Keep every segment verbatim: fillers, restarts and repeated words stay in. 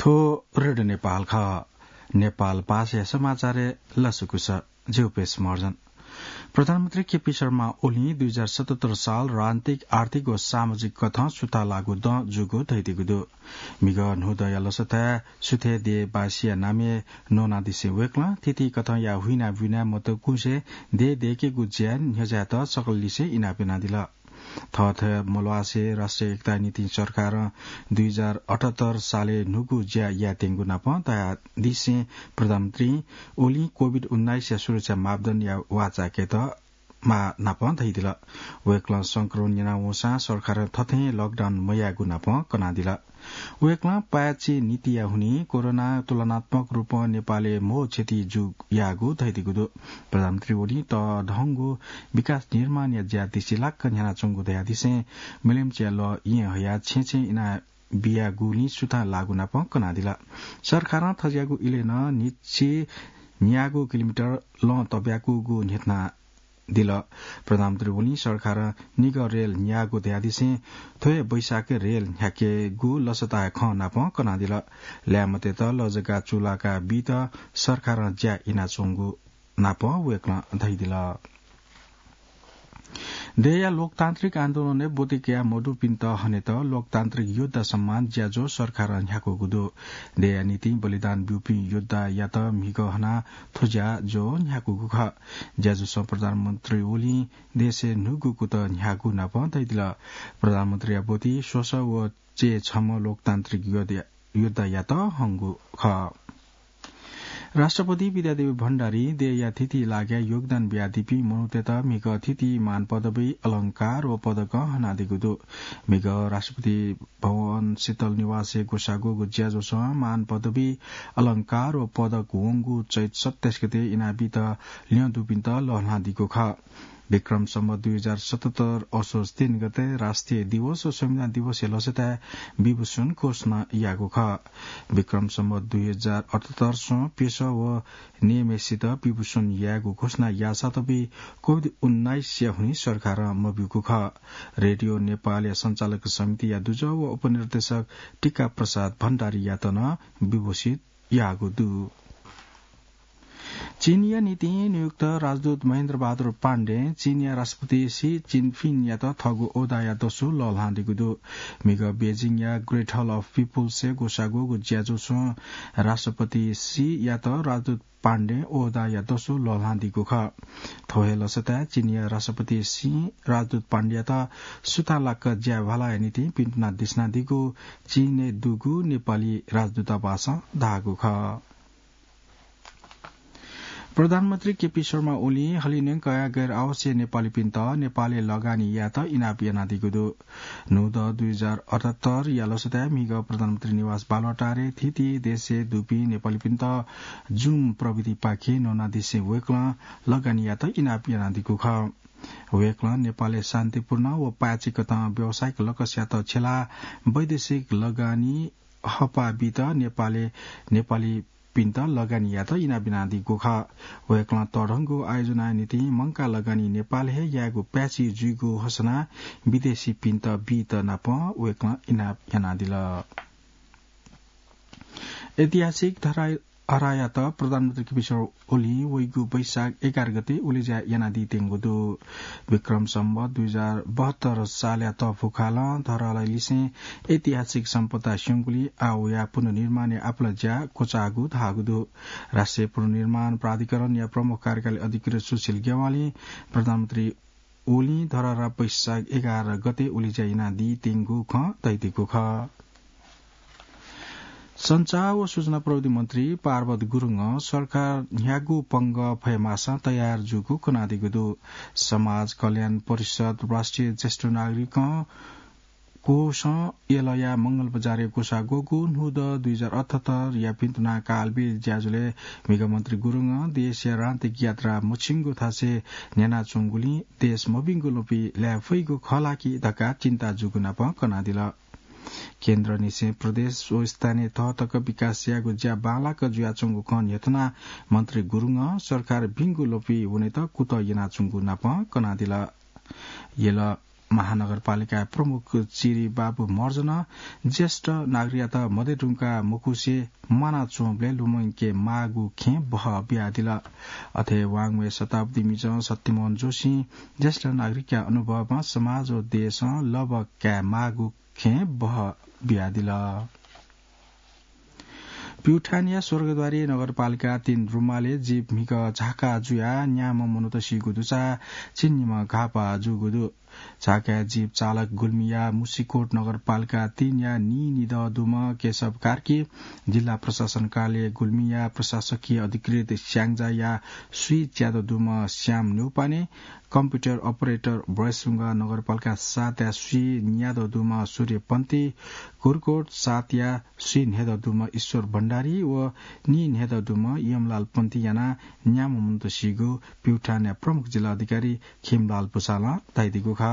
रेडियो नेपाल खः। नेपाल भाषाया समाचारय् लसकुस। ज्यू पेश महर्जन। प्रधानमन्त्री केपी शर्मा ओलीं दुई हजार सतहत्तर साल राजनीतिक, आर्थिक व सामाजिक कथं सुथां लाःगु दँ जूगु धयादीगु दु। म्हिगः न्हूदँया लसताय् सुथय् देय् बासिया नामय् न्वनादिसें वय्कलं थीथी कथंया हुइना बुइना मतकुसे देय् दय्केगु ज्याय् न्ह्यज्यायेत सकललिसें इनाप यानादिल। थःथः मल्वासे राष्ट्रिय एकताया निंतिं सरकारं दुई हजार अठहत्तर सालय् न्हूगु ज्या यायेत्यंगु नापं धयादिसें प्रधानमन्त्री ओलीं कोभिड उन्नाइसया सुरक्षा मापदण्डया वाःचाय्केत मा नापं धयादिल। वय्कलं संक्रमण न्यनावंसां सरकारं थथें लकडाउन मयायेगु नापं कनादिल। वय्कलं पाय्छि नीतिया हुनिं कोरोनां तुलनात्मक रूपं नेपालय् मो क्षति जू याःगु धयादीगु दु। प्रधानमन्त्री ओलीं तःधंगु विकास निर्माणया ज्या दिसिलाक्क न्ह्यानाच्वंगु धयादिसें मिलिमचिया लः येँ हयाः छेँछेँ इना बियागुलिं सुथां लाःगु नापं कनादिल। सरकारं थज्याःगु इलय् नं न्हिच्छि न्यागू किलोमिटर लँ तब्याकूगु न्ह्यथनादिल। प्रधानमन्त्री ओलीं सरकारं निगः रेल न्यागू धयादिसें थ्व हे वैशाखय् रेल न्ह्याकेगु लसताया खँ नापं कनादिल। ल्याय्म्हतय्त लजगाः चूलाका बीत सरकारं ज्या यानाच्वंगु नापं वय्कलं धयादिल। देय्या लोकतान्त्रिक आन्दोलनय् ब्वति कयाः मदुपिन्त हनेत लोकतान्त्रिक योद्धा सम्मान ज्याझ्वः सरकारं न्ह्याकूगु दु। देय्या निंतिं बलिदान ब्यूपिं योद्धायात म्हिगः हनाः थ्व ज्याझ्वः न्ह्याकूगु खः। ज्याझ्वलं प्रधानमन्त्री ओलीं देशय् न्हूगु कुतः न्ह्याःगु नापं धयादिल। प्रधानमन्त्रीया ब्वति स्वसः व चय्छम्ह लोकतान्त्रिक योद्धा, योद्धायात हंगु खः। राष्ट्रपति विद्यादेवी भण्डारीं देय्या थीथी लागाय् योगदान बियादीपिं मनूतय्त म्हिगः थीथी मान पदवी, अलंकार व पदकं हनादीगु दु। म्हिगः राष्ट्रपति भवन शीतल निवासय् ग्वसाः ग्वःगु ज्याझ्वलं मान पदवी, अलंकार व पदक वंगु चैत सत्ताइस गते इनाबीत ल्यं दुपिन्त लःल्हानादीगु खः। विक्रम सम्वत दुई हजार सतहत्तर असोज तीन गते राष्ट्रिय दिवस व संविधान दिवसया लसताय् विभूषण घोषणा याःगु खः। विक्रम सम्वत दुई हजार अठहत्तर स्वं पेशः व नियमय्सित विभूषण यायेगु घोषणा याःसात भी कोभिड उन्नाइसया हुनिं सरकारं मब्यूगु खः। रेडियो नेपालया सञ्चालक समितिया दुजः व उपनिर्देशक टीका प्रसाद भण्डारीयात नं विभूषित याःगु दु। चीनया निंतिं नियुक्त राजदूत महेन्द्र बहादुर पाण्डें चीनया राष्ट्रपति सी जिनपिङयात थःगु ओहदाया दसु लःल्हानादीगु दु। म्हिगः बेजिङया Great Hall of People's-य् ग्वसाः ग्वःगु ज्याझ्वलं राष्ट्रपति सीयात राजदूत पाण्डें ओहदाया दसु लःल्हानादीगु खः। थ्व हे लसताय् चीनया राष्ट्रपति सीं राजदूत पाण्डेयात सुथांलाक ज्या भालाया निंतिं पिन्तुना दिसिनादीगु चीनय् दुगु नेपाली राजदूतावासं धाःगु खः। प्रधानमन्त्री केपी शर्मा ओलीं हलिंन्यंकया गैर आवासीय नेपालीपिन्त नेपालय् लगानी यायेत इनाप यानादीगु दु। न्हूदँ दुई हजार अठहत्तरया लसताय् म्हिगः प्रधानमन्त्री निवास बालुवाटारय् थीथी देशय् दुपिं नेपालीपिन्त Zoom प्रविधिपाखें न्वनादिसें वय्कलं लगानी यायेत इनाप यानादीगु खः। वय्कलं नेपालय् शान्तिपूर्ण व पाय्छि कथं व्यावसायिक लक्ष्ययात छ्यलाः वैदेशिक लगानी हःपाः बीत नेपालय् नेपालीपिन्त लगानी यायेत इनाप यानादीगु खः। वय्कलं तःधंगु आयोजनाया निंतिं मंकाः लगानी नेपालय् हे यायेगु पाय्छि जुइगु हसनाः विदेशीपिन्त बीत नापं वय्कलं इनाप यानादिल। ऐतिहासिक धरा-, धरहरायात प्रधानमन्त्री केपी शर्मा ओलीं वइगु वैशाख एघार गते उलेज्या यानादीत्यंगु दु। विक्रम सम्वत दुई हजार बहत्तर सालया तःफुकालं धरहरालिसें ऐतिहासिक सम्पदा स्यंगुलिं आः वयाः पुनर्निर्माणया आपालं ज्या क्वचाःगु धाःगु दु। राष्ट्रिय पुनर्निर्माण प्राधिकरणया प्रमुख कार्यकारी अधिकृत सुशील ज्ञवालीं प्रधानमन्त्री ओलीं धरहरा वैशाख एघार गते उलेज्या यानादीत्यंगु खँ धयादीगु खः। सञ्चार व सूचना प्रविधि मन्त्री पार्वत गुरुङं सरकार न्ह्यागु पंगः फयेमाःसां तयार जूगु कनादीगु दु। समाज कल्याण परिषद राष्ट्रिय ज्येष्ठ नागरिकं कोषं यलया मंगलबजारय् ग्वसाः ग्वःगु न्हूदँ दुई हजार अठहत्तरया पिन्तुना कालबेली ज्याझ्वलय् म्हिगः मन्त्री गुरुङं देशया राजनीतिक यात्रा मछिंगु थासय् न्ह्यानाच्वंगुलिं देश मभिंगु ल्वपि लाये फइगु खः ला कि धकाः चिन्ता जूगु नापं कनादिल। केन्द्रनिसें प्रदेश व स्थानीय तह तक विकास यायेगु ज्या बांलाक जुयाच्वंगु खँ न्ह्यथनाः मन्त्री गुरुङं सरकार भिंगु ल्वपि वनेत कुतः यानाच्वंगु नापं कनादिल। यल महानगरपालिका प्रमुख चिरी बाबु महर्जनं ज्येष्ठ नागरिकयात मदय् धुंकाः मकुसे म्वानाच्वंबलय् लुमंके माःगु खँय् बहः बियादिल। अथे वाङ्मय शताब्दी मिजं सत्यमोहन जोशीं ज्येष्ठ नागरिकया अनुभवं समाज व देशं लभा काये माःगु खँय् बहः बियादिल। प्युठानया स्वर्गद्वारी नगरपालिका तीन रुमालय् जीप म्हिगः झाका जुयाः न्याम्ह मनूत सीगु दुसा झिंनिम्ह घाःपाः जूगु दु। झाकाया जीप चालक गुल्मीया मुसिकोट नगरपालिका तीनया नीनिदँ दुम्ह केशव कार्की, जिल्ला प्रशासन कार्यालय गुल्मीया प्रशासकीय अधिकृत स्याङ्जाया स्वीच्यादँ दुम्ह श्याम न्यौपाने, कम्प्युटर अपरेटर भ्वय्‌सुंग नगरपालिका सातया स्वीन्यादँ दुम्ह सूर्य पन्थी, कुर्कोट सातया स्वीन्हय्‌दँ दुम्ह ईश्वर भण्डारी व नीन्हय्‌दँ दुम्ह यमलाल पन्थी यानाः न्याम्ह मनूत सीगु प्युठानया प्रमुख जिल्ला अधिकारी खिमलाल भुसालं धयादीगु खः।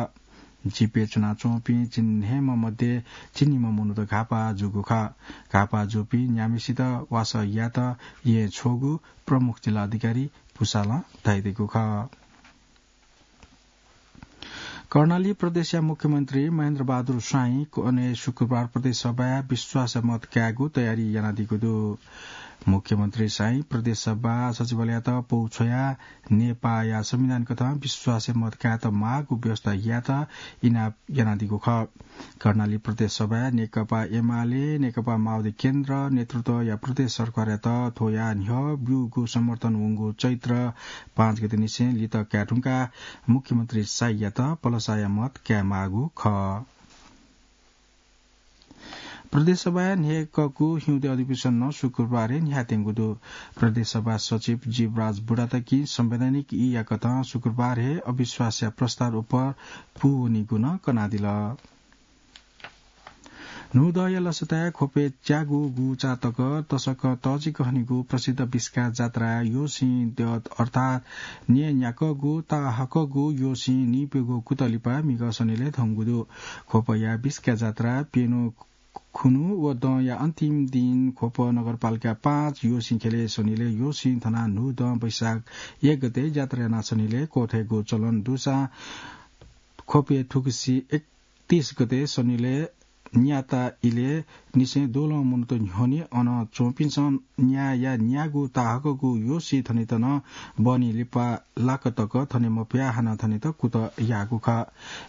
जीपय् च्वनाच्वंपिं झिंन्हय्‌म्ह मध्ये झिंनिम्ह मनूत घाःपाः जूगु खः। घाःपाः जूपिं न्याम्हसित वासः यायेत येँ छ्वःगु प्रमुख जिल्ला अधिकारी भुसालं धयादीगु खः। कर्णाली प्रदेशया मुख्यमन्त्री महेन्द्र बहादुर स्वाइँ कन्हय् शुक्रबार प्रदेश सभाय् विश्वासया मत कायेगु तयारी यानादीगु दु। मुख्यमन्त्री स्वाइँ प्रदेश सभा सचिवालययात पौ छ्वयाः नेपाःया संविधान कथं विश्वासया मत कायेत माःगु व्यवस्था यायेत इनाप यानादीगु खः। कर्णाली प्रदेश सभाय् नेकपा एमाले, नेकपा माओवादी केन्द्र नेतृत्वया प्रदेश सरकारयात थ्वया न्ह्यः ब्यूगु समर्थन वंगु चैत्र पाँच गते निसें लित काये धुंकाः मुख्यमन्त्री स्वाइँयात पलसाया मत काये माःगु खः। प्रदेश सभाया न्हय्‌कःगु हिउँदे अधिवेशन नं शुक्रबार हे न्ह्याथेंगु दु। प्रदेश सभा सचिव जीवराज बुढाथकीं संवैधानिक ईया कथं शुक्रबार हे अविश्वासया प्रस्ताव उपर पूवनीगु नं कनादिल। न्हूदँया लसताय् ख्वपय् च्यागू गुचा तक तसकं तःजिक हनीगु प्रसिद्ध बिस्का जात्राय् योसिं द्यः अर्थात् न्यय्‌न्याकःगु ताःहाकःगु योसिं नीप्यघौ कुतः लिपा म्हिगः सनिलय् धंगु दु। ख्वपया बिस्का जात्रा प्यन्हु खुन्हु व दँया अन्तिम दिं ख्वप नगरपालिका पाँच योसिं ख्यलय् सनिलय् योसिं थनाः न्हूदँ वैशाख एक गते जात्रा यानाः सनिलय् क्वथयेगु चलन दुसां ख्वपय् थुगुसी एकतीस गते सनिलय् न्याता इलय् निसें द्वलं मनूत न्ह्यःने अन च्वंपिन्सं न्याया न्यागू ताःहाकःगु योसिं थनेत नं बहनी लिपा लाक तक थने मफयाः हानं थनेत कुतः याःगु खः।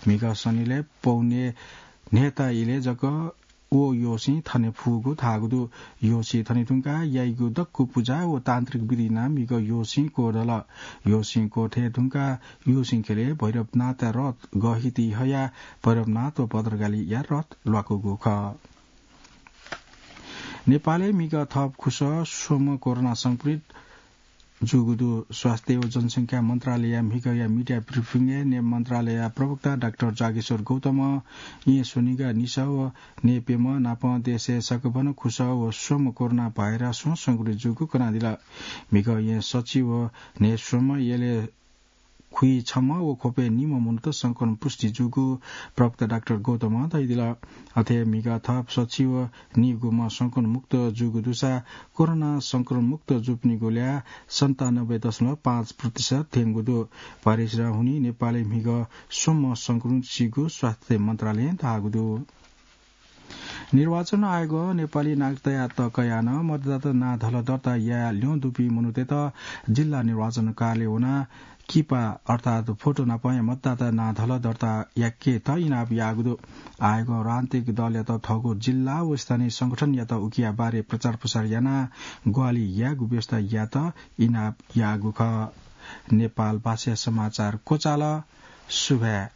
म्हिगः सनिलय् पौने न्हय्‌ता इलय् जक व योसिं थने फुगु धाःगु दु। योसिं थने धुंकाः याइगु दक्व पुजा व तान्त्रिक विधि यानाः म्हिगः योसिं क्वदल। योसिं क्वथय् धुंकाः योसिं ख्यलय् भैरवनाथया रथ गःहिति हयाः भैरवनाथ व भद्रकालीया रथ ल्वाकूगु खः। नेपालय् म्हिगः थप खुसः स्वम्ह कोरोना संक्रमित जूगु दु। स्वास्थ्य व जनसंख्या मन्त्रालयया म्हिगःया media briefing-य् ने मन्त्रालयया प्रवक्ता डाक्टर जागेश्वर गौतमं येँ स्वनिगः निसः व ने प्यम्ह नापं देशय् सकभनं खुसः व स्वम्ह कोरोना भाइरसं संक्रमित जूगु कनादिल। म्हिगः येँ सच्छि व न्हय् स्वम्ह, यलय् खुइछम्ह व ख्वपय् निम्ह मनूत संक्रमण पुष्टि जूगु प्रवक्ता डाक्टर गौतमं धयादिल। अथे म्हिगः थप सच्छि व निगूम्ह संक्रमण मुक्त जूगु दुसा कोरोना संक्रमण मुक्त जूपिनिगु ल्याः सन्तानब्बे दशमलव पाँच प्रतिशत थ्यंगु दु। भाइरसया हुनिं नेपालय् म्हिगः स्वम्ह संक्रमित सीगु स्वास्थ्य मन्त्रालयं धाःगु दु। निर्वाचन आयोगं नेपाली नागरिकतायात कयाः नं मतदाता नां धलः दर्ता याये ल्यं दुपिं मनूतय्त जिल्ला निर्वाचन कार्यालय वनाः किपा अर्थात् फोटो नापं मतदाता नां धलः दर्ता याकेत इनाप याःगु दु। आयोगं राजनीतिक दलयात थःगु जिल्ला व स्थानीय संगठनयात उकिया बारे प्रचार प्रसार यानाः ग्वाहालि यायेगु व्यवस्था यायेत इनाप याःगु खः। नेपाल भाषाया समाचार क्वचाल। सुभाय्।